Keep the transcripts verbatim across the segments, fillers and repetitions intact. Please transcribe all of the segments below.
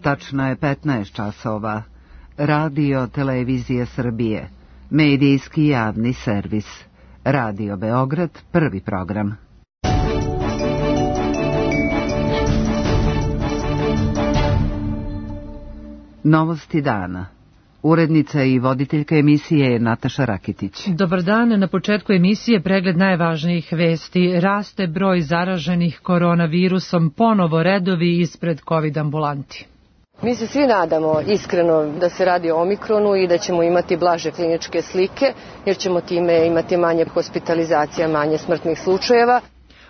Tačno je petnaest časova. Radio Televizije Srbije. Medijski javni servis. Radio Beograd, prvi program. Novosti dana. Urednica i voditeljka emisije je Nataša Rakitić. Dobar dan, na početku emisije pregled najvažnijih vesti. Raste broj zaraženih koronavirusom, ponovo redovi ispred COVID ambulanti. Mi se svi nadamo iskreno da se radi o omikronu i da ćemo imati blaže kliničke slike, jer ćemo time imati manje hospitalizacija, manje smrtnih slučajeva.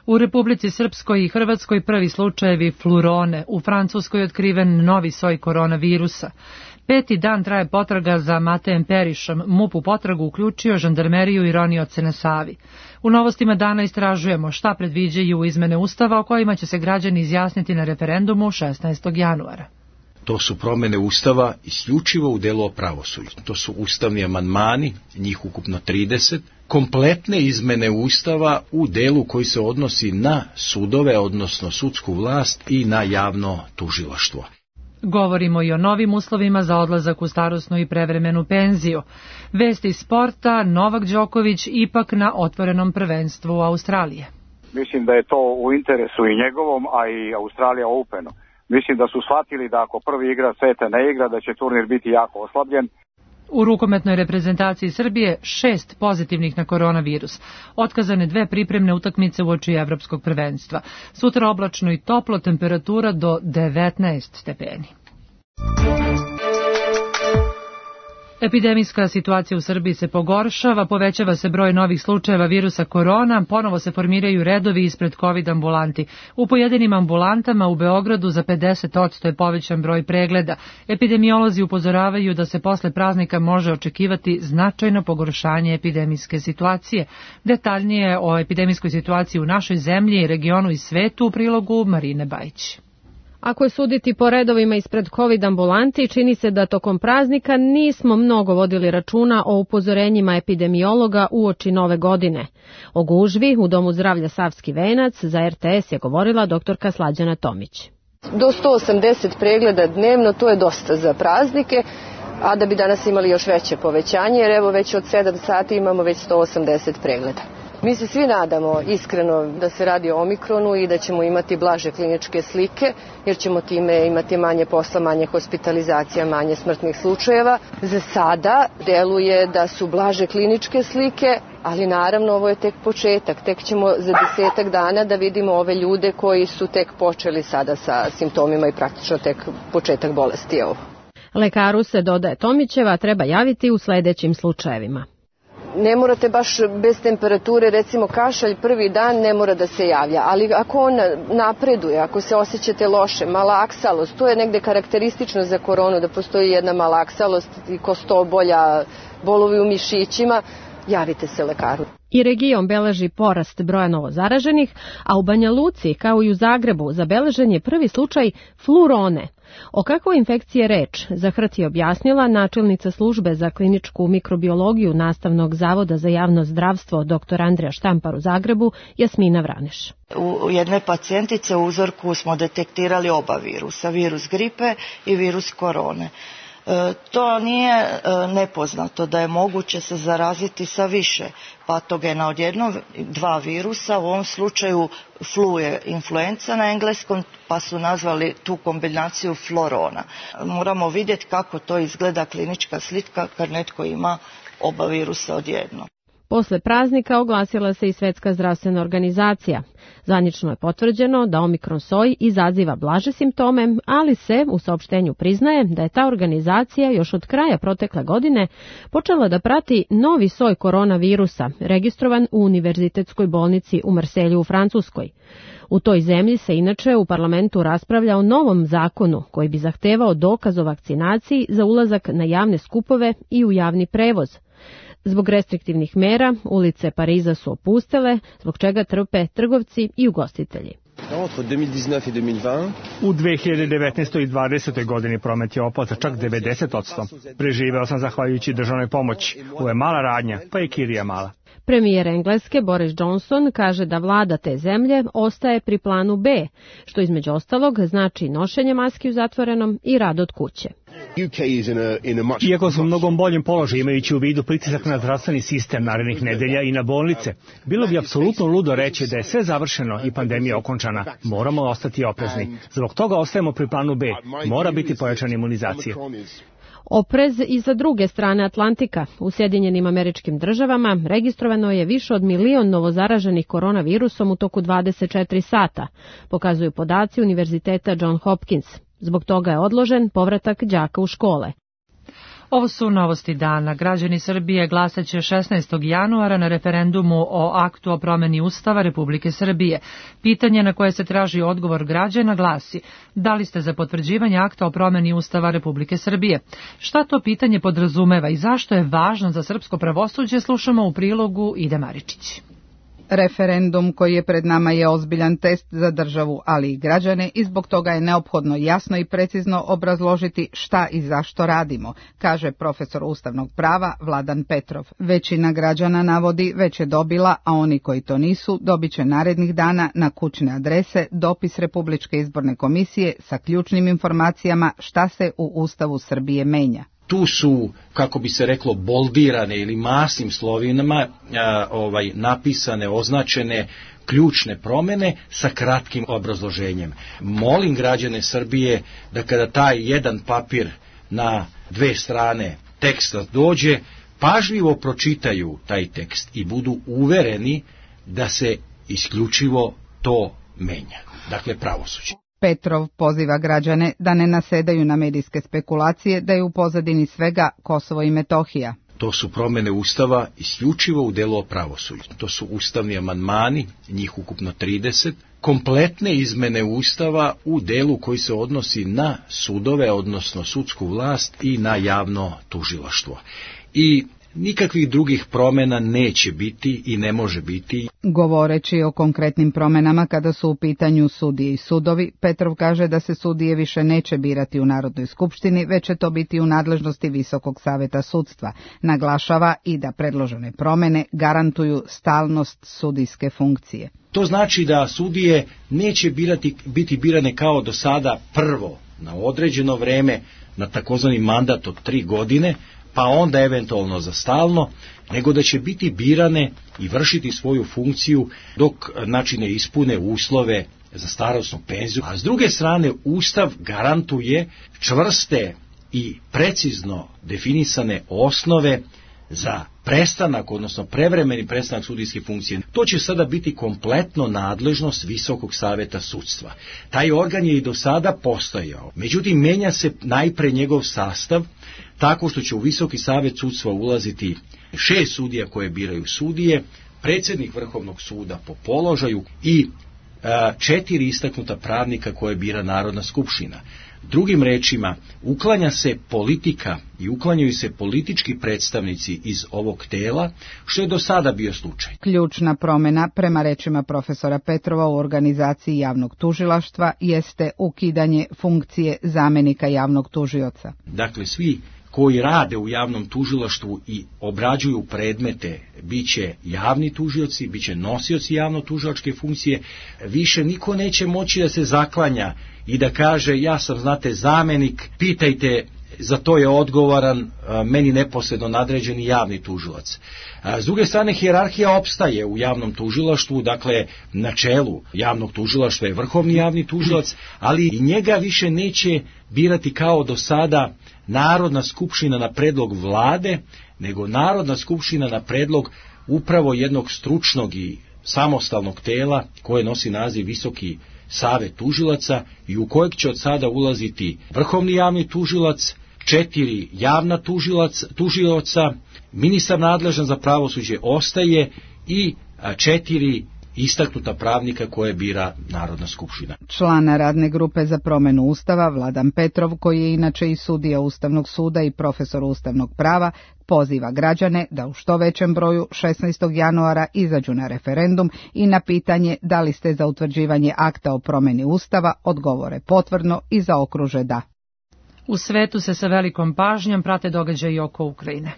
U Republici Srpskoj i Hrvatskoj prvi slučajevi flurone, u Francuskoj otkriven novi soj koronavirusa. Peti dan traje potraga za Matejem Perišom, M U P u potragu uključio žandarmeriju i ronioce na Savi. U novostima dana istražujemo šta predviđaju izmene Ustava o kojima će se građani izjasniti na referendumu šesnaestog januara. To su promjene Ustava isključivo u delu o pravosuđu. To su ustavni amandmani, njih ukupno trideset, kompletne izmene Ustava u delu koji se odnosi na sudove, odnosno sudsku vlast i na javno tužilaštvo. Govorimo i o novim uslovima za odlazak u starosnu i prevremenu penziju. Vesti sporta, Novak Đoković ipak na otvorenom prvenstvu Australije. Mislim da je to u interesu i njegovom, a i Australija Openu. Mislim da su shvatili da ako prvi igra sveta ne igra, da će turnir biti jako oslabljen. U rukometnoj reprezentaciji Srbije šest pozitivnih na koronavirus. Otkazane dve pripremne utakmice uoči evropskog prvenstva. Sutra oblačno i toplo, temperatura do devetnaest stepeni. Epidemijska situacija u Srbiji se pogoršava, povećava se broj novih slučajeva virusa korona, ponovo se formiraju redovi ispred COVID ambulanti. U pojedinim ambulantama u Beogradu za pedeset posto je povećan broj pregleda. Epidemiolozi upozoravaju da se posle praznika može očekivati značajno pogoršanje epidemijske situacije. Detaljnije o epidemijskoj situaciji u našoj zemlji, regionu i svetu u prilogu Marine Bajić. Ako je suditi po redovima ispred COVID ambulanti, čini se da tokom praznika nismo mnogo vodili računa o upozorenjima epidemiologa uoči nove godine. O gužvi u Domu zdravlja Savski venac za R T S je govorila doktorka Slađana Tomić. Do sto osamdeset pregleda dnevno, to je dosta za praznike, a da bi danas imali još veće povećanje, jer evo već od sedam sati imamo već sto osamdeset pregleda. Mi se svi nadamo iskreno da se radi o omikronu i da ćemo imati blaže kliničke slike, jer ćemo time imati manje posla, manje hospitalizacija, manje smrtnih slučajeva. Za sada deluje da su blaže kliničke slike, ali naravno ovo je tek početak. Tek ćemo za desetak dana da vidimo ove ljude koji su tek počeli sada sa simptomima i praktično tek početak bolesti je ovo. Lekaru se, dodaje Tomićeva, treba javiti u sledećim slučajevima. Ne morate baš bez temperature, recimo kašalj prvi dan ne mora da se javlja, ali ako on napreduje, ako se osjećate loše, malaksalost, to je negde karakteristično za koronu, da postoji jedna malaksalost i kostobolja, bolovi u mišićima, javite se lekaru. I region beleži porast broja novozaraženih, a u Banja Luci, kao i u Zagrebu, zabeležen je prvi slučaj flurone. O kakvoj infekciji je reč, za H R T je objasnila načelnica službe za kliničku mikrobiologiju Nastavnog zavoda za javno zdravstvo dr Andrija Štampar u Zagrebu, Jasmina Vraneš. U jednoj pacijentice u uzorku smo detektirali oba virusa, virus gripe i virus korone. To nije nepoznato da je moguće se zaraziti sa više patogena od jednog, dva virusa, u ovom slučaju flu je influenza na engleskom, pa su nazvali tu kombinaciju florona. Moramo vidjeti kako to izgleda klinička slika kad netko ima oba virusa odjednom. Posle praznika oglasila se i Svetska zdravstvena organizacija. Zvanično je potvrđeno da omikron soj izaziva blaže simptome, ali se u saopštenju priznaje da je ta organizacija još od kraja protekle godine počela da prati novi soj koronavirusa, registrovan u Univerzitetskoj bolnici u Marselju u Francuskoj. U toj zemlji se inače u parlamentu raspravlja o novom zakonu koji bi zahtevao dokaz o vakcinaciji za ulazak na javne skupove i u javni prevoz. Zbog restriktivnih mera, ulice Pariza su opustele, zbog čega trpe trgovci i ugostitelji. U dve hiljade devetnaestoj i dvadesetoj godini promet je opao za čak devedeset posto. Preživeo sam zahvaljujući državnoj pomoći. Ovo je mala radnja, pa i kirija mala. Premijer Engleske Boris Johnson kaže da vlada te zemlje ostaje pri planu B, što između ostalog znači nošenje maski u zatvorenom i rad od kuće. Iako su u mnogom boljem položaju imajući u vidu pritisak na zdravstveni sistem narednih nedelja i na bolnice, bilo bi apsolutno ludo reći da je sve završeno i pandemija okončana. Moramo ostati oprezni. Zbog toga ostajemo pri planu B. Mora biti pojačana imunizacija. Oprez i sa druge strane Atlantika. U Sjedinjenim Američkim Državama registrovano je više od milion novozaraženih koronavirusom u toku dvadeset četiri sata, pokazuju podaci Univerziteta John Hopkins. Zbog toga je odložen povratak đaka u škole. Ovo su novosti dana. Građani Srbije glasaće šesnaestog januara na referendumu o aktu o promeni Ustava Republike Srbije. Pitanje na koje se traži odgovor građana glasi: da li ste za potvrđivanje akta o promeni Ustava Republike Srbije? Šta to pitanje podrazumeva i zašto je važno za srpsko pravosuđe, slušamo u prilogu Ide Maričić. Referendum koji je pred nama je ozbiljan test za državu, ali i građane, i zbog toga je neophodno jasno i precizno obrazložiti šta i zašto radimo, kaže profesor ustavnog prava Vladan Petrov. Većina građana navodi već je dobila, a oni koji to nisu dobit će narednih dana na kućne adrese dopis Republičke izborne komisije sa ključnim informacijama šta se u Ustavu Srbije menja. Tu su, kako bi se reklo, boldirane ili masnim slovinama a, ovaj, napisane, označene ključne promjene sa kratkim obrazloženjem. Molim građane Srbije da kada taj jedan papir na dve strane teksta dođe, pažljivo pročitaju taj tekst i budu uvereni da se isključivo to menja. Dakle, pravosuđe. Petrov poziva građane da ne nasedaju na medijske spekulacije da je u pozadini svega Kosovo i Metohija. To su promjene Ustava isključivo u delu o pravosuđu. To su ustavni amandmani, njih ukupno trideset, kompletne izmene Ustava u delu koji se odnosi na sudove, odnosno sudsku vlast i na javno tužilaštvo. I nikakvih drugih promjena neće biti i ne može biti. Govoreći o konkretnim promjenama kada su u pitanju sudije i sudovi, Petrov kaže da se sudije više neće birati u Narodnoj skupštini, već će to biti u nadležnosti Visokog saveta sudstva. Naglašava i da predložene promjene garantuju stalnost sudijske funkcije. To znači da sudije neće birati, biti birane kao do sada prvo na određeno vreme, na takozvani mandat od tri godine, pa onda eventualno za stalno, nego da će biti birane i vršiti svoju funkciju dok znači ne ispune uslove za starosnu penziju. A s druge strane, Ustav garantuje čvrste i precizno definisane osnove za prestanak, odnosno prevremeni prestanak sudijske funkcije. To će sada biti kompletno nadležnost Visokog saveta sudstva. Taj organ je i do sada postojao. Međutim, menja se najpre njegov sastav, tako što će u Visoki savet sudstva ulaziti šest sudija koje biraju sudije, predsjednik Vrhovnog suda po položaju i a, četiri istaknuta pravnika koje bira Narodna skupština. Drugim rečima, uklanja se politika i uklanjaju se politički predstavnici iz ovog tela, što je do sada bio slučaj. Ključna promjena, prema rečima profesora Petrova, u organizaciji javnog tužilaštva jeste ukidanje funkcije zamjenika javnog tužioca. Dakle, svi koji rade u javnom tužilaštvu i obrađuju predmete, bit će javni tužioci, bit će nosioci javno-tužilačke funkcije, više niko neće moći da se zaklanja i da kaže ja sam, znate, zamjenik, pitajte, za to je odgovoran meni neposredno nadređeni javni tužilac. S druge strane, hijerarhija opstaje u javnom tužilaštvu, dakle na čelu javnog tužilaštva je vrhovni javni tužilac, ali i njega više neće birati kao do sada Narodna skupština na predlog vlade, nego Narodna skupština na predlog upravo jednog stručnog i samostalnog tela koje nosi naziv Visoki savet tužilaca i u kojeg će od sada ulaziti vrhovni javni tužilac, četiri javna tužilac, tužioca, ministar nadležan za pravosuđe ostaje i četiri istaknuta pravnika koje bira Narodna skupština. Člana radne grupe za promjenu Ustava Vladan Petrov, koji je inače i sudija Ustavnog suda i profesor ustavnog prava, poziva građane da u što većem broju šesnaestog januara izađu na referendum i na pitanje da li ste za utvrđivanje akta o promjeni Ustava odgovore potvrdno i zaokruže da. U svetu se sa velikom pažnjom prate događaji oko Ukrajine.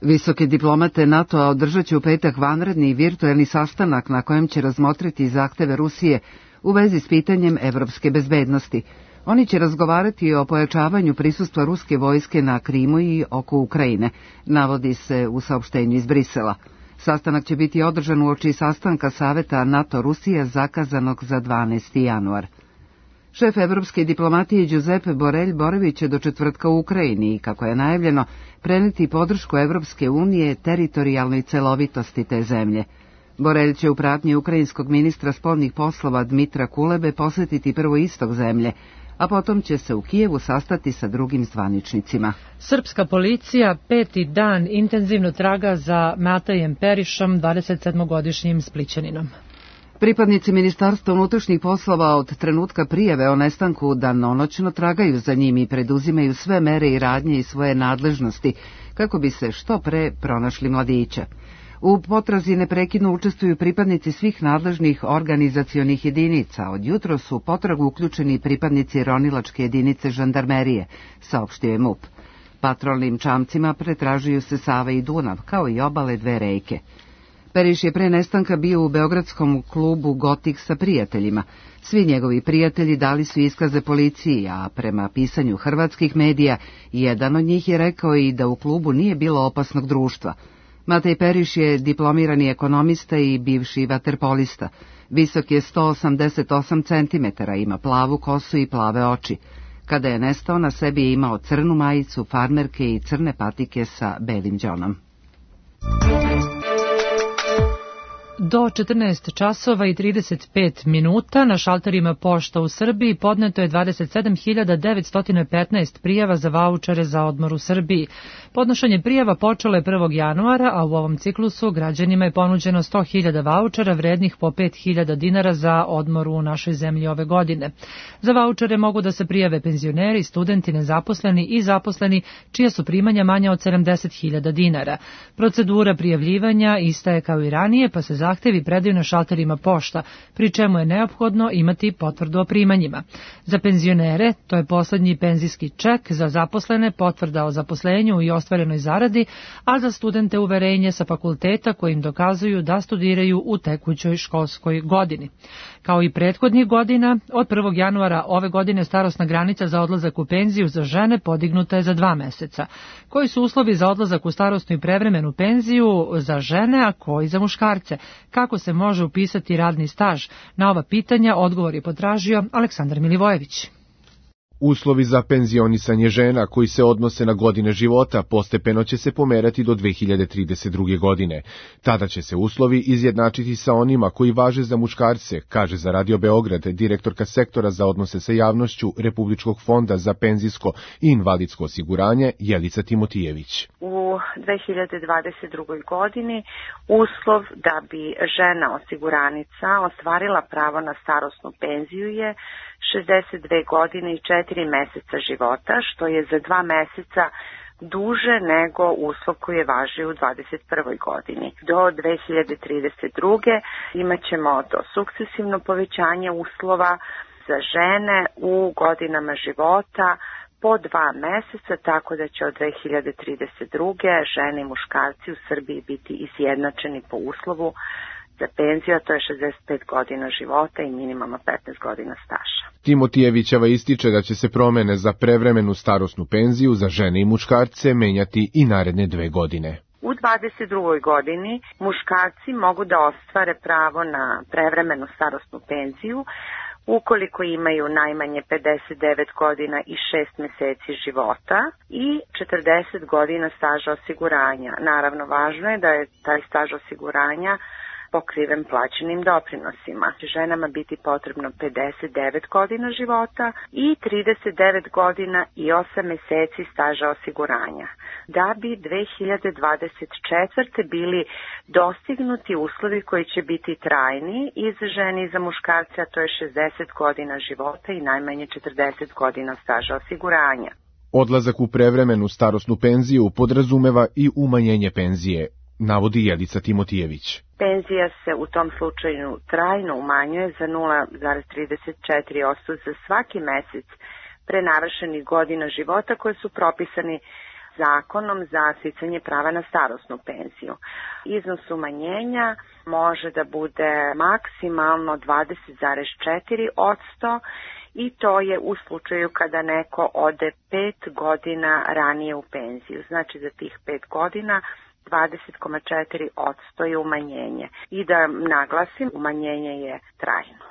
Visoke diplomate NATO-a održat će u petak vanredni virtuelni sastanak na kojem će razmotriti zahteve Rusije u vezi s pitanjem evropske bezbednosti. Oni će razgovarati o pojačavanju prisustva ruske vojske na Krimu i oko Ukrajine, navodi se u saopštenju iz Brisela. Sastanak će biti održan uoči sastanka Saveta NATO-Rusija zakazanog za dvanaesti januar. Šef evropske diplomatije Giuseppe Borrell boravit će do četvrtka u Ukrajini i, kako je najavljeno, preneti podršku Evropske unije teritorijalnoj celovitosti te zemlje. Borrell će u pratnji ukrajinskog ministra spoljnih poslova Dmitra Kulebe posjetiti prvo istok zemlje, a potom će se u Kijevu sastati sa drugim zvaničnicima. Srpska policija peti dan intenzivno traga za Matajem Perišom, dvadesetsedmogodišnjim Splićaninom. Pripadnici Ministarstva unutrašnjih poslova od trenutka prijave o nestanku danonoćno tragaju za njim i preduzimaju sve mere i radnje iz svoje nadležnosti kako bi se što pre pronašli mladića. U potrazi neprekidno učestvuju pripadnici svih nadležnih organizacionih jedinica. Od jutro su u potragu uključeni pripadnici ronilačke jedinice žandarmerije, saopštio je MUP. Patrolnim čamcima pretražuju se Sava i Dunav, kao i obale dve reke. Periš je pre nestanka bio u beogradskom klubu Gotik sa prijateljima. Svi njegovi prijatelji dali su iskaze policiji, a prema pisanju hrvatskih medija, jedan od njih je rekao i da u klubu nije bilo opasnog društva. Matej Periš je diplomirani ekonomista i bivši vaterpolista. Visok je sto osamdeset osam centimetara, ima plavu kosu i plave oči. Kada je nestao, na sebi je imao crnu majicu, farmerke i crne patike sa belim đonom. Do četrnaest časova i trideset pet minuta na šalterima pošta u Srbiji podneto je dvadeset sedam hiljada devetsto petnaest prijava za vaučere za odmor u Srbiji. Podnošenje prijava počelo je prvog januara, a u ovom ciklusu građanima je ponuđeno sto hiljada vaučera vrednih po pet hiljada dinara za odmor u našoj zemlji ove godine. Za vaučere mogu da se prijave penzioneri, studenti, nezaposleni i zaposleni čija su primanja manja od sedamdeset hiljada dinara. Procedura prijavljivanja ista je kao i ranije, pa se zahtevi predaju na šalterima pošta, pri čemu je neophodno imati potvrdu o primanjima. Za penzionere to je poslednji penzijski ček, za zaposlene potvrda o zaposlenju i ostvarenoj zaradi, a za studente uverenje sa fakulteta kojim dokazuju da studiraju u tekućoj školskoj godini. Kao i prethodnih godina, od prvog januara ove godine starosna granica za odlazak u penziju za žene podignuta je za dva meseca. Koji su uslovi za odlazak u starosnu i prevremenu penziju za žene, a koji za muškarce? Kako se može upisati radni staž? Na ova pitanja odgovor je potražio Aleksandar Milivojević. Uslovi za penzionisanje žena koji se odnose na godine života postepeno će se pomerati do dve hiljade trideset druge. godine. Tada će se uslovi izjednačiti sa onima koji važe za muškarce, kaže za Radio Beograd direktorka sektora za odnose sa javnošću Republičkog fonda za penzijsko i invalidsko osiguranje Jelica Timotijević. U dve hiljade dvadeset drugoj. godini uslov da bi žena osiguranica ostvarila pravo na starosnu penziju je šezdeset dve godine i četiri meseca života, što je za dva meseca duže nego uslov koji je važio u dvadeset prvoj. godini. Do dve hiljade trideset druge. imat ćemo to sukcesivno povećanje uslova za žene u godinama života po dva meseca, tako da će od dve hiljade trideset druge. žene i muškarci u Srbiji biti izjednačeni po uslovu za penziju, a to je šezdeset pet godina života i minimalno petnaest godina staža. Timotijevićeva ističe da će se promene za prevremenu starosnu penziju za žene i muškarce menjati i naredne dve godine. U dvadeset drugoj. godini muškarci mogu da ostvare pravo na prevremenu starosnu penziju ukoliko imaju najmanje pedeset devet godina i šest meseci života i četrdeset godina staža osiguranja. Naravno, važno je da je taj staž osiguranja pokriven plaćenim doprinosima. Ženama biti potrebno pedeset devet godina života i trideset devet godina i osam meseci staža osiguranja. Da bi dve hiljade dvadeset četvrte. bili dostignuti uslovi koji će biti trajni i za žene i za muškarce, a to je šezdeset godina života i najmanje četrdeset godina staža osiguranja. Odlazak u prevremenu starosnu penziju podrazumeva i umanjenje penzije, navodi Jelica Timotijević. Penzija se u tom slučaju trajno umanjuje za nula zarez trideset četiri posto za svaki mesec prenavršenih godina života koje su propisani zakonom za sticanje prava na starosnu penziju. Iznos umanjenja može da bude maksimalno dvadeset zarez četiri posto i to je u slučaju kada neko ode pet godina ranije u penziju. Znači za tih pet godina dvadeset zarez četiri posto je umanjenje. I da naglasim, umanjenje je trajno.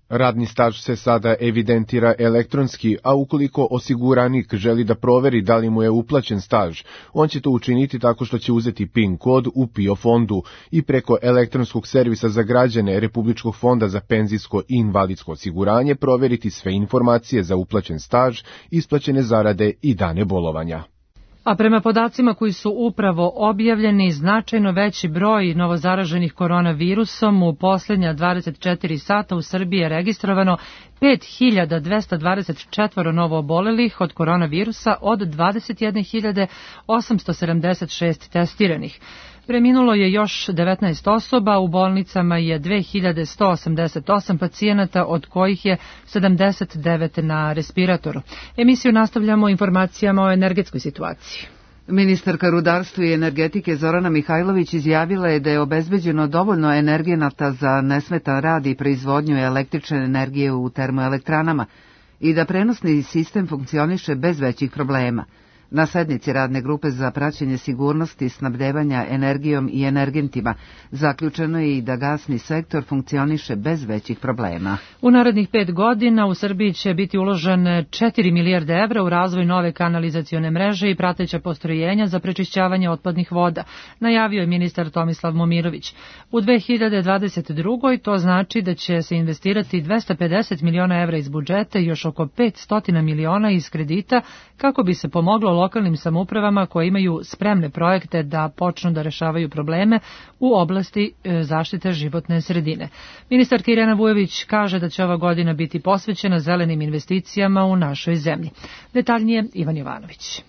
Radni staž se sada evidentira elektronski, a ukoliko osiguranik želi da proveri da li mu je uplaćen staž, on će to učiniti tako što će uzeti PIN kod u PIO fondu i preko elektronskog servisa za građane Republičkog fonda za penzijsko i invalidsko osiguranje proveriti sve informacije za uplaćen staž, isplaćene zarade i dane bolovanja. A prema podacima koji su upravo objavljeni, značajno veći broj novozaraženih koronavirusom u posljednja dvadeset četiri sata u Srbiji je registrovano pet hiljada dvesta dvadeset četiri novo obolelih od koronavirusa od dvadeset jedne hiljade osamsto sedamdeset šest testiranih. Preminulo je još devetnaest osoba, u bolnicama je dve hiljade sto osamdeset osam pacijenata, od kojih je sedamdeset devet na respiratoru. Emisiju nastavljamo informacijama o energetskoj situaciji. Ministarka rudarstva i energetike Zorana Mihajlović izjavila je da je obezbeđeno dovoljno energenata za nesmetan rad i proizvodnju električne energije u termoelektranama i da prenosni sistem funkcioniše bez većih problema. Na sednici radne grupe za praćenje sigurnosti snabdevanja energijom i energentima zaključeno je i da gasni sektor funkcioniše bez većih problema. U narednih pet godina u Srbiji će biti uložen četiri milijarde evra u razvoj nove kanalizacione mreže i prateća postrojenja za prečišćavanje otpadnih voda, najavio je ministar Tomislav Momirović. U dve hiljade dvadeset drugoj to znači da će se investirati dvesta pedeset miliona evra iz budžeta i još oko petsto miliona iz kredita kako bi se pomoglo lokalnim samoupravama koje imaju spremne projekte da počnu da rešavaju probleme u oblasti zaštite životne sredine. Ministarka Irena Vujović kaže da će ova godina biti posvećena zelenim investicijama u našoj zemlji. Detaljnije Ivan Jovanović.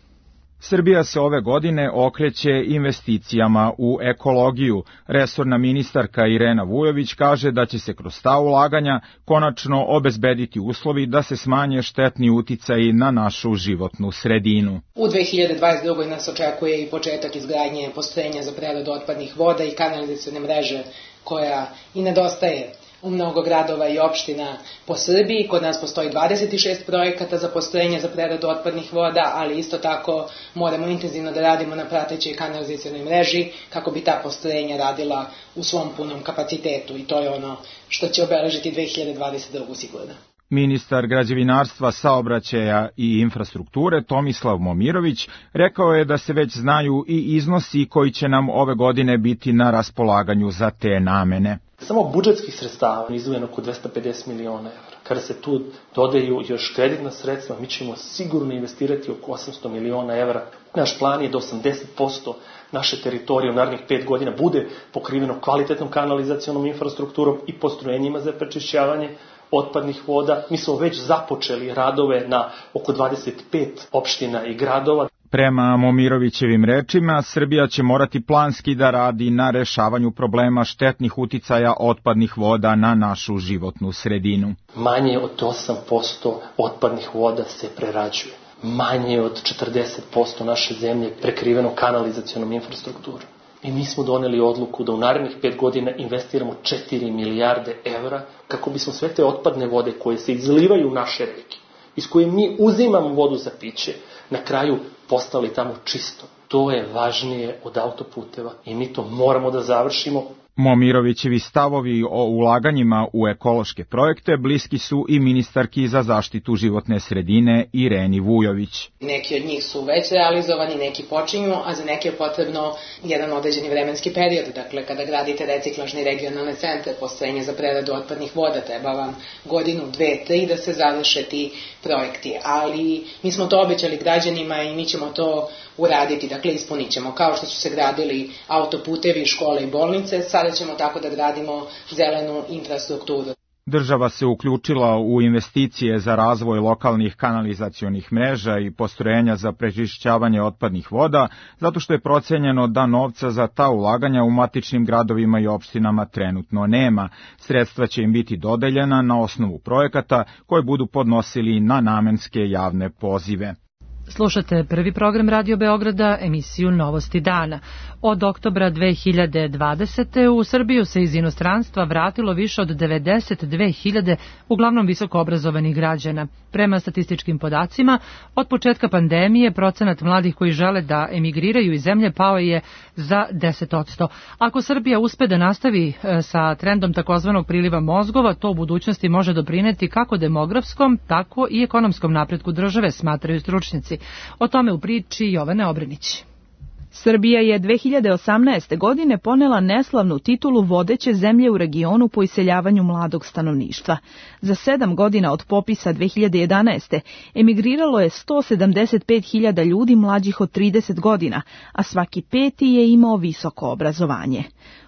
Srbija se ove godine okreće investicijama u ekologiju. Resorna ministarka Irena Vujović kaže da će se kroz ta ulaganja konačno obezbediti uslovi da se smanje štetni uticaji na našu životnu sredinu. U dve hiljade dvadeset drugoj nas očekuje i početak izgradnje postrojenja za preradu otpadnih voda i kanalizacione mreže koja i nedostaje u mnogo gradova i opština po Srbiji. Kod nas postoji dvadeset šest projekata za postrojenja za preradu otpadnih voda, ali isto tako moramo intenzivno da radimo na pratećoj kanalizacionoj mreži kako bi ta postrojenja radila u svom punom kapacitetu i to je ono što će obeležiti dve hiljade dvadeset drugu sigurno. Ministar građevinarstva, saobraćaja i infrastrukture Tomislav Momirović rekao je da se već znaju i iznosi koji će nam ove godine biti na raspolaganju za te namene. Samo budžetskih sredstava izdvojeno oko dvesta pedeset miliona evra. Kada se tu dodaju još kreditna sredstva, mi ćemo sigurno investirati oko osamsto miliona evra. Naš plan je da osamdeset posto naše teritorije u narednih pet godina bude pokriveno kvalitetnom kanalizacionom infrastrukturom i postrojenjima za prečišćavanje otpadnih voda. Mi smo već započeli radove na oko dvadeset pet opština i gradova. Prema Momirovićevim rečima, Srbija će morati planski da radi na rešavanju problema štetnih uticaja otpadnih voda na našu životnu sredinu. Manje od osam posto otpadnih voda se prerađuje. Manje od četrdeset posto naše zemlje je prekriveno kanalizacionom infrastrukturom. I mi smo doneli odluku da u narednih pet godina investiramo četiri milijarde evra kako bismo sve te otpadne vode koje se izlivaju u naše reke, iz koje mi uzimamo vodu za piće, na kraju postali tamo čisto. To je važnije od autoputeva i mi to moramo da završimo. Momirovićevi stavovi o ulaganjima u ekološke projekte bliski su i ministarki za zaštitu životne sredine Ireni Vujović. Neki od njih su već realizovani, neki počinju, a za neke je potrebno jedan određeni vremenski period. Dakle, kada gradite reciklažni regionalne centre, postrojenje za preradu otpadnih voda, treba vam godinu, dve, tri da se završe ti projekti. Ali mi smo to obećali građanima i mi ćemo to uraditi, dakle ispunit ćemo. Kao što su se gradili autoputevi, škole i bolnice, sada ćemo tako da gradimo zelenu infrastrukturu. Država se uključila u investicije za razvoj lokalnih kanalizacionih mreža i postrojenja za prečišćavanje otpadnih voda, zato što je procenjeno da novca za ta ulaganja u matičnim gradovima i opštinama trenutno nema. Sredstva će im biti dodeljena na osnovu projekata koje budu podnosili na namenske javne pozive. Slušate prvi program Radio Beograda, emisiju Novosti dana. Od oktobra dve hiljade dvadesete. u Srbiju se iz inostranstva vratilo više od devedeset dve hiljade uglavnom visoko obrazovanih građana. Prema statističkim podacima, od početka pandemije procenat mladih koji žele da emigriraju iz zemlje pao je za deset posto. Ako Srbija uspe da nastavi sa trendom takozvanog priliva mozgova, to u budućnosti može doprineti kako demografskom, tako i ekonomskom napretku države, smatraju stručnjaci. O tome u priči Jovane Obrenić. Srbija je dve hiljade osamnaeste. godine ponela neslavnu titulu vodeće zemlje u regionu po iseljavanju mladog stanovništva. Za sedam godina od popisa dve hiljade jedanaeste. emigriralo je sto sedamdeset pet hiljada ljudi mlađih od trideset godina, a svaki peti je imao visoko obrazovanje.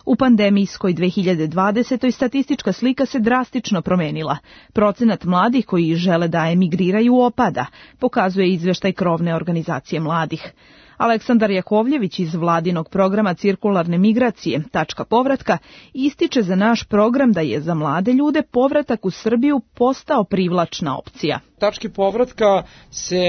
U pandemijskoj dve hiljade dvadesetoj. statistička slika se drastično promenila. Procenat mladih koji žele da emigriraju opada, pokazuje izveštaj krovne organizacije mladih. Aleksandar Jakovljević iz vladinog programa Cirkularne migracije, tačka povratka, ističe za naš program da je za mlade ljude povratak u Srbiju postao privlačna opcija. Tačke povratka se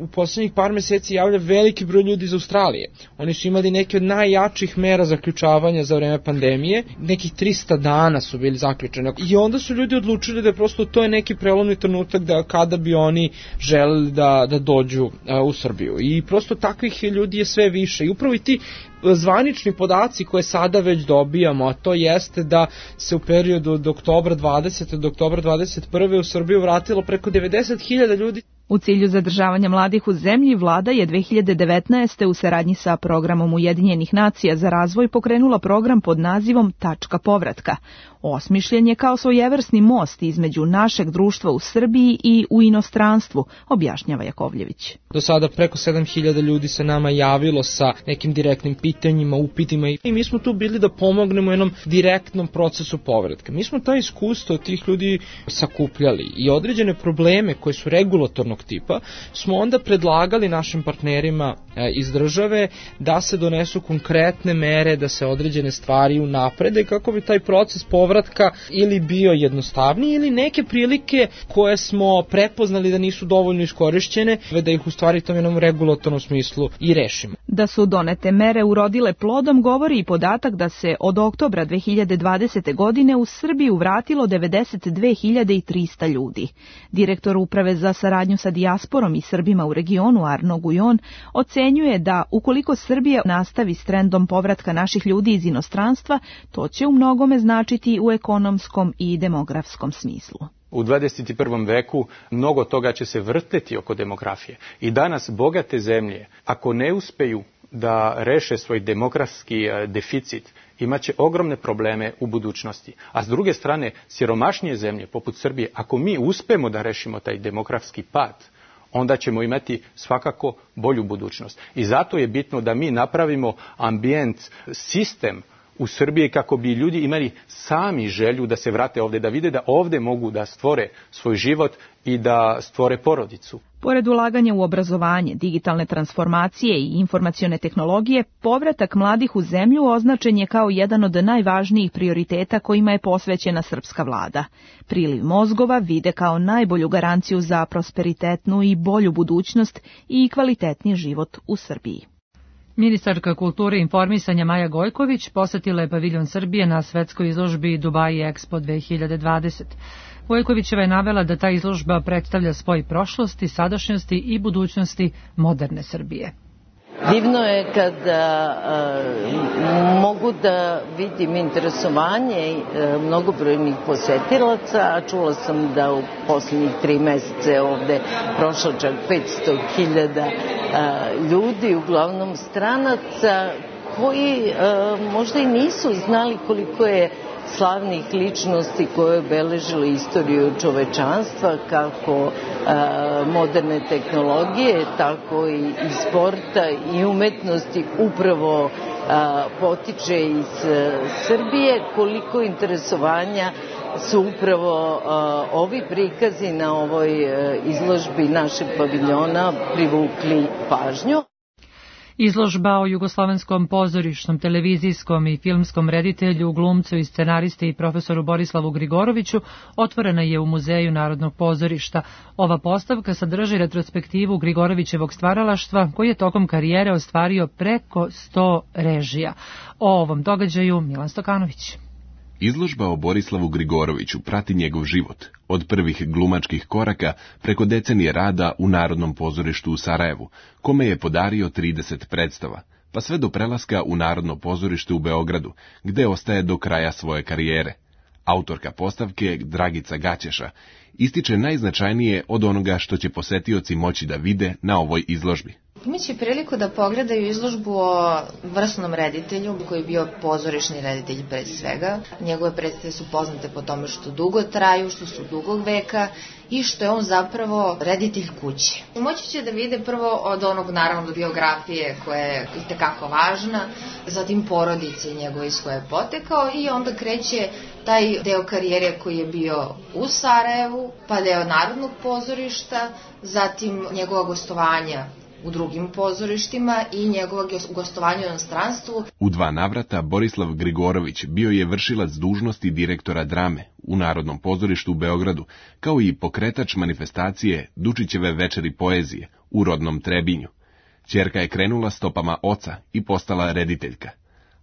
u poslednjih par meseci javlja veliki broj ljudi iz Australije. Oni su imali neke od najjačih mera zaključavanja za vreme pandemije, nekih trista dana su bili zaključeni. I onda su ljudi odlučili da je prosto to je neki prelomni trenutak da kada bi oni želeli da, da dođu a, u Srbiju. I prosto takvih ljudi je sve više. I upravo i ti zvanični podaci koje sada već dobijamo, a to jeste da se u periodu od oktobra dvadesete do oktobra dvadeset prve. u Srbiju vratilo preko devedeset hiljada ljudi. U cilju zadržavanja mladih u zemlji, vlada je dve hiljade devetnaeste. u saradnji sa programom Ujedinjenih nacija za razvoj pokrenula program pod nazivom Tačka povratka. Osmišljen je kao svojevrsni most između našeg društva u Srbiji i u inostranstvu, objašnjava Jakovljević. Do sada preko sedam hiljada ljudi se nama javilo sa nekim direktnim pitanjima, upitima i mi smo tu bili da pomognemo jednom direktnom procesu povratka. Mi smo ta iskustva od tih ljudi sakupljali i određene probleme koje su regulatornog tipa smo onda predlagali našim partnerima iz države da se donesu konkretne mere, da se određene stvari unaprede kako bi taj proces povratka ili bio jednostavniji ili neke prilike koje smo prepoznali da nisu dovoljno iskorišćene, da ih u stvari tom jednom regulatornom smislu i rešimo. Da su donete mere urodile plodom govori i podatak da se od oktobra dve hiljade dvadesete. godine u Srbiju vratilo devedeset dve hiljade trista ljudi. Direktor Uprave za saradnju sa dijasporom i Srbima u regionu Arno Gujon ocenjuje da ukoliko Srbija nastavi s trendom povratka naših ljudi iz inostranstva, to će u mnogome značiti u ekonomskom i demografskom smislu. U dvadeset prvom veku mnogo toga će se vrteti oko demografije. I danas bogate zemlje, ako ne uspeju da reše svoj demografski deficit, imaće ogromne probleme u budućnosti. A s druge strane, siromašnije zemlje poput Srbije, ako mi uspemo da rešimo taj demografski pad, onda ćemo imati svakako bolju budućnost. I zato je bitno da mi napravimo ambijent, sistem u Srbiji kako bi ljudi imali sami želju da se vrate ovde, da vide da ovde mogu da stvore svoj život i da stvore porodicu. Pored ulaganja u obrazovanje, digitalne transformacije i informacione tehnologije, povratak mladih u zemlju označen je kao jedan od najvažnijih prioriteta kojima je posvećena srpska vlada. Priliv mozgova vide kao najbolju garanciju za prosperitetnu i bolju budućnost i kvalitetniji život u Srbiji. Ministarka kulture i informisanja Maja Gojković posetila je paviljon Srbije na svetskoj izložbi Dubai Expo dve hiljade dvadeset. Gojkovićeva je navela da ta izložba predstavlja spoj prošlosti, sadašnjosti i budućnosti moderne Srbije. Divno je kada a, mogu da vidim interesovanje a, mnogobrojnih posetilaca, a čula sam da u poslednjih tri mesece ovde prošlo čak petsto hiljada ljudi, uglavnom stranaca, koji a, možda i nisu znali koliko je slavnih ličnosti koje obeležile istoriju čovečanstva, kako a, moderne tehnologije, tako i, i sporta i umetnosti upravo a, potiče iz a, Srbije, koliko interesovanja su upravo a, ovi prikazi na ovoj a, izložbi našeg paviljona privukli pažnju. Izložba o jugoslovenskom pozorišnom, televizijskom i filmskom reditelju, glumcu i scenaristi i profesoru Borislavu Grigoroviću otvorena je u Muzeju Narodnog pozorišta. Ova postavka sadrži retrospektivu Grigorovićevog stvaralaštva koji je tokom karijere ostvario preko sto režija. O ovom događaju Milan Stokanović. Izložba o Borislavu Grigoroviću prati njegov život, od prvih glumačkih koraka preko decenije rada u Narodnom pozorištu u Sarajevu, kome je podario trideset predstava, pa sve do prelaska u Narodno pozorište u Beogradu, gde ostaje do kraja svoje karijere. Autorka postavke, Dragica Gaćeša, ističe najznačajnije od onoga što će posetioci moći da vide na ovoj izložbi. Imaće priliku da pogledaju izložbu o vrsnom reditelju, koji je bio pozorišni reditelj pre svega. Njegove predstave su poznate po tome što dugo traju, što su dugog veka i što je on zapravo reditelj kuće. Moći će da vide prvo od onog, naravno, biografije koja je itekako važna, zatim porodice njegove iz koje je potekao i onda kreće taj deo karijere koji je bio u Sarajevu, pa deo Narodnog pozorišta, zatim njegova gostovanja u drugim pozorištima i njegova gostovanja u inostranstvu. U dva navrata Borislav Grigorović bio je vršilac dužnosti direktora drame u Narodnom pozorištu u Beogradu, kao i pokretač manifestacije Dučićeve večeri poezije u rodnom Trebinju. Ćerka je krenula stopama oca i postala rediteljka.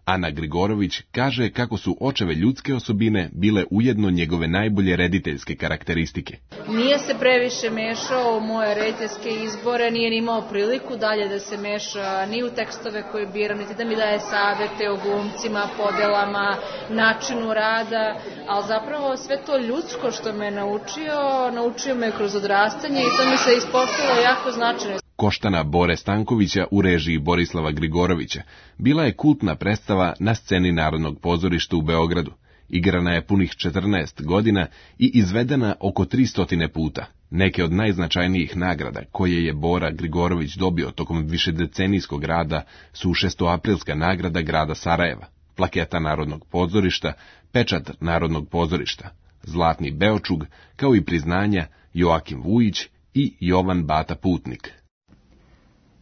Ana Grigorović kaže kako su očeve ljudske osobine bile ujedno njegove najbolje rediteljske karakteristike. Nije se previše mešao u moje rediteljske izbore, nije ni imao priliku dalje da se meša ni u tekstove koje biram, niti da mi daje savete o glumcima, podelama, načinu rada, ali zapravo sve to ljudsko što me naučio, naučio me kroz odrastanje i to mi se ispostavilo jako značajno. Koštana Bore Stankovića u režiji Borislava Grigorovića bila je kultna predstava na sceni Narodnog pozorišta u Beogradu. Igrana je punih četrnaest godina i izvedena oko tristo puta. Neke od najznačajnijih nagrada koje je Bora Grigorović dobio tokom višedecenijskog rada su šestoaprilska nagrada grada Sarajeva, plaketa Narodnog pozorišta, pečat Narodnog pozorišta, zlatni beočug, kao i priznanja Joakim Vujić i Jovan Bata Putnik.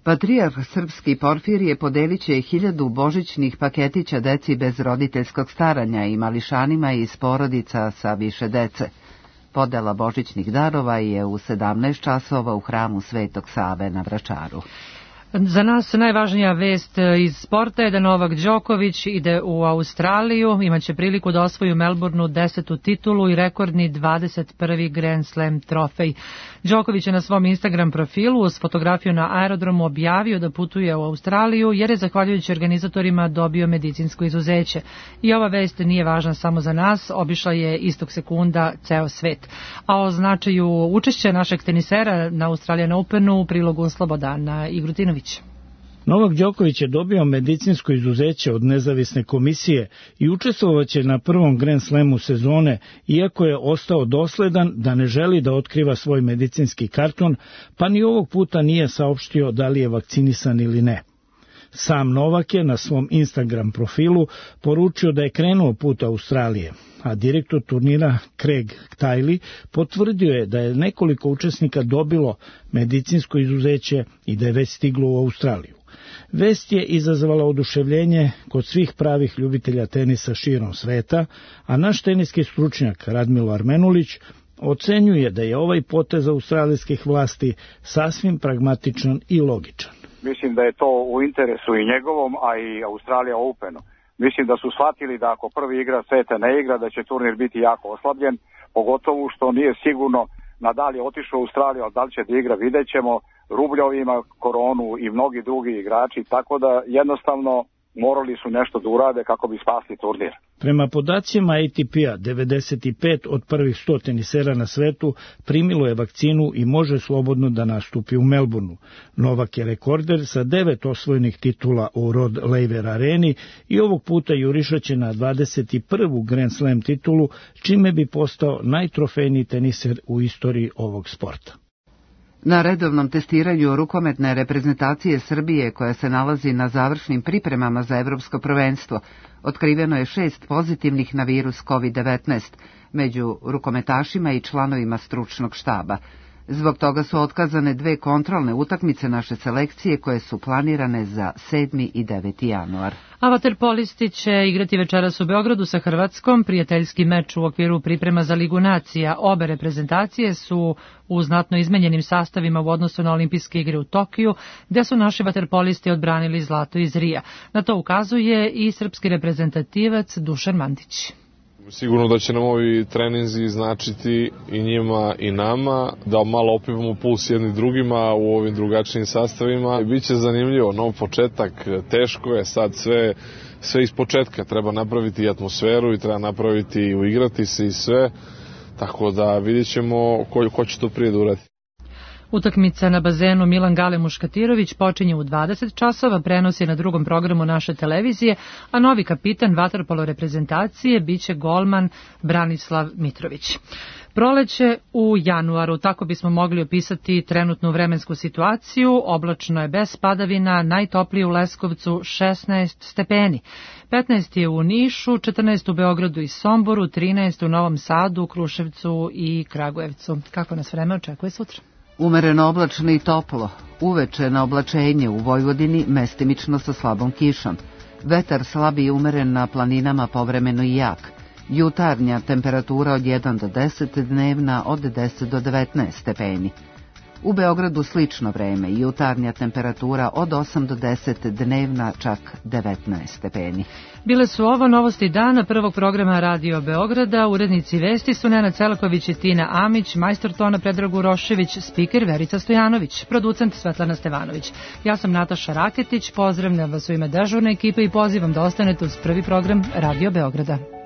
Patrijarh srpski Porfirije podelit će hiljadu božićnih paketića deci bez roditeljskog staranja i mališanima iz porodica sa više dece. Podela božićnih darova je u sedamnaest časova u hramu Svetog Save na Vračaru. Za nas najvažnija vest iz sporta je da Novak Đoković ide u Australiju, imaće priliku da osvoji u Melbourneu desetu titulu i rekordni dvadeset prvi Grand Slam trofej. Đoković je na svom Instagram profilu uz fotografiju na aerodromu objavio da putuje u Australiju jer je zahvaljujući organizatorima dobio medicinsko izuzeće. I ova vest nije važna samo za nas, obišla je istog sekunda ceo svet. A o značaju učešća našeg tenisera na Australian Openu u prilogu Slobodana Igrutinović. Novak Đoković je dobio medicinsko izuzeće od nezavisne komisije i učestvovaće na prvom Grand Slamu sezone, iako je ostao dosledan da ne želi da otkriva svoj medicinski karton, pa ni ovog puta nije saopštio da li je vakcinisan ili ne. Sam Novak je na svom Instagram profilu poručio da je krenuo put Australije, a direktor turnira Craig Tiley potvrdio je da je nekoliko učesnika dobilo medicinsko izuzeće i da je već stiglo u Australiju. Vest je izazvala oduševljenje kod svih pravih ljubitelja tenisa širom sveta, a naš teniski stručnjak Radmilo Armenulić ocenjuje da je ovaj potez australijskih vlasti sasvim pragmatičan i logičan. Mislim da je to u interesu i njegovom, a i Australija Openu. Mislim da su shvatili da ako prvi igra seta ne igra, da će turnir biti jako oslabljen, pogotovo što nije sigurno Nadal je otišao u Australiju, ali da li će da igra, vidjet ćemo. Rubljov ima koronu i mnogi drugi igrači, tako da jednostavno morali su nešto da urade kako bi spasli turnir. Prema podacima A T P-a, devedeset pet od prvih sto tenisera na svetu primilo je vakcinu i može slobodno da nastupi u Melbourneu. Novak je rekorder sa devet osvojenih titula u Rod Laver areni i ovog puta jurišaće na dvadeset prvu Grand Slam titulu, čime bi postao najtrofejniji teniser u istoriji ovog sporta. Na redovnom testiranju rukometne reprezentacije Srbije, koja se nalazi na završnim pripremama za evropsko prvenstvo, otkriveno je šest pozitivnih na virus kovid devetnaest među rukometašima i članovima stručnog štaba. Zbog toga su otkazane dve kontrolne utakmice naše selekcije koje su planirane za sedmi i deveti januar. A vaterpolisti će igrati večeras u Beogradu sa Hrvatskom, prijateljski meč u okviru priprema za Ligu nacija. Obe reprezentacije su u znatno izmenjenim sastavima u odnosu na olimpijske igre u Tokiju, gde su naši vaterpolisti odbranili zlato iz Rija. Na to ukazuje i srpski reprezentativac Dušan Mandić. Sigurno da će nam ovi treninzi značiti i njima i nama, da malo opivamo puls jedni drugima u ovim drugačijim sastavima. Biće zanimljivo, nov početak, teško je sad sve, sve iz početka. Treba napraviti i atmosferu i treba napraviti i uigrati se i sve, tako da vidjet ćemo ko, ko će to prije da uradi. Utakmica na bazenu Milan Gale Muškatirović počinje u dvadeset časova, prenos je na drugom programu naše televizije, a novi kapitan vaterpolo reprezentacije biće golman Branislav Mitrović. Proleće u januaru, tako bismo mogli opisati trenutnu vremensku situaciju. Oblačno je bez padavina, najtoplije u Leskovcu šesnaest stepeni. petnaest je u Nišu, četrnaest u Beogradu i Somboru, trinaest u Novom Sadu, Kruševcu i Kragujevcu. Kako nas vreme očekuje sutra? Umereno oblačno i toplo, uveče na oblačenje u Vojvodini, mestimično sa slabom kišom. Vetar slabi i umeren na planinama, povremeno i jak. Jutarnja temperatura od jedan do deset, dnevna od deset do devetnaest stepeni. U Beogradu slično vreme, jutarnja temperatura od osam do deset, dnevna čak devetnaest stepeni. Bile su ovo novosti dana prvog programa Radio Beograda. Urednici vesti su Nenad Celaković i Tina Amić, majstor tona Predrag Urošević, spiker Verica Stojanović, producent Svetlana Stevanović. Ja sam Nataša Raketić, pozdravljam vas u ime dežurne ekipe i pozivam da ostanete uz prvi program Radio Beograda.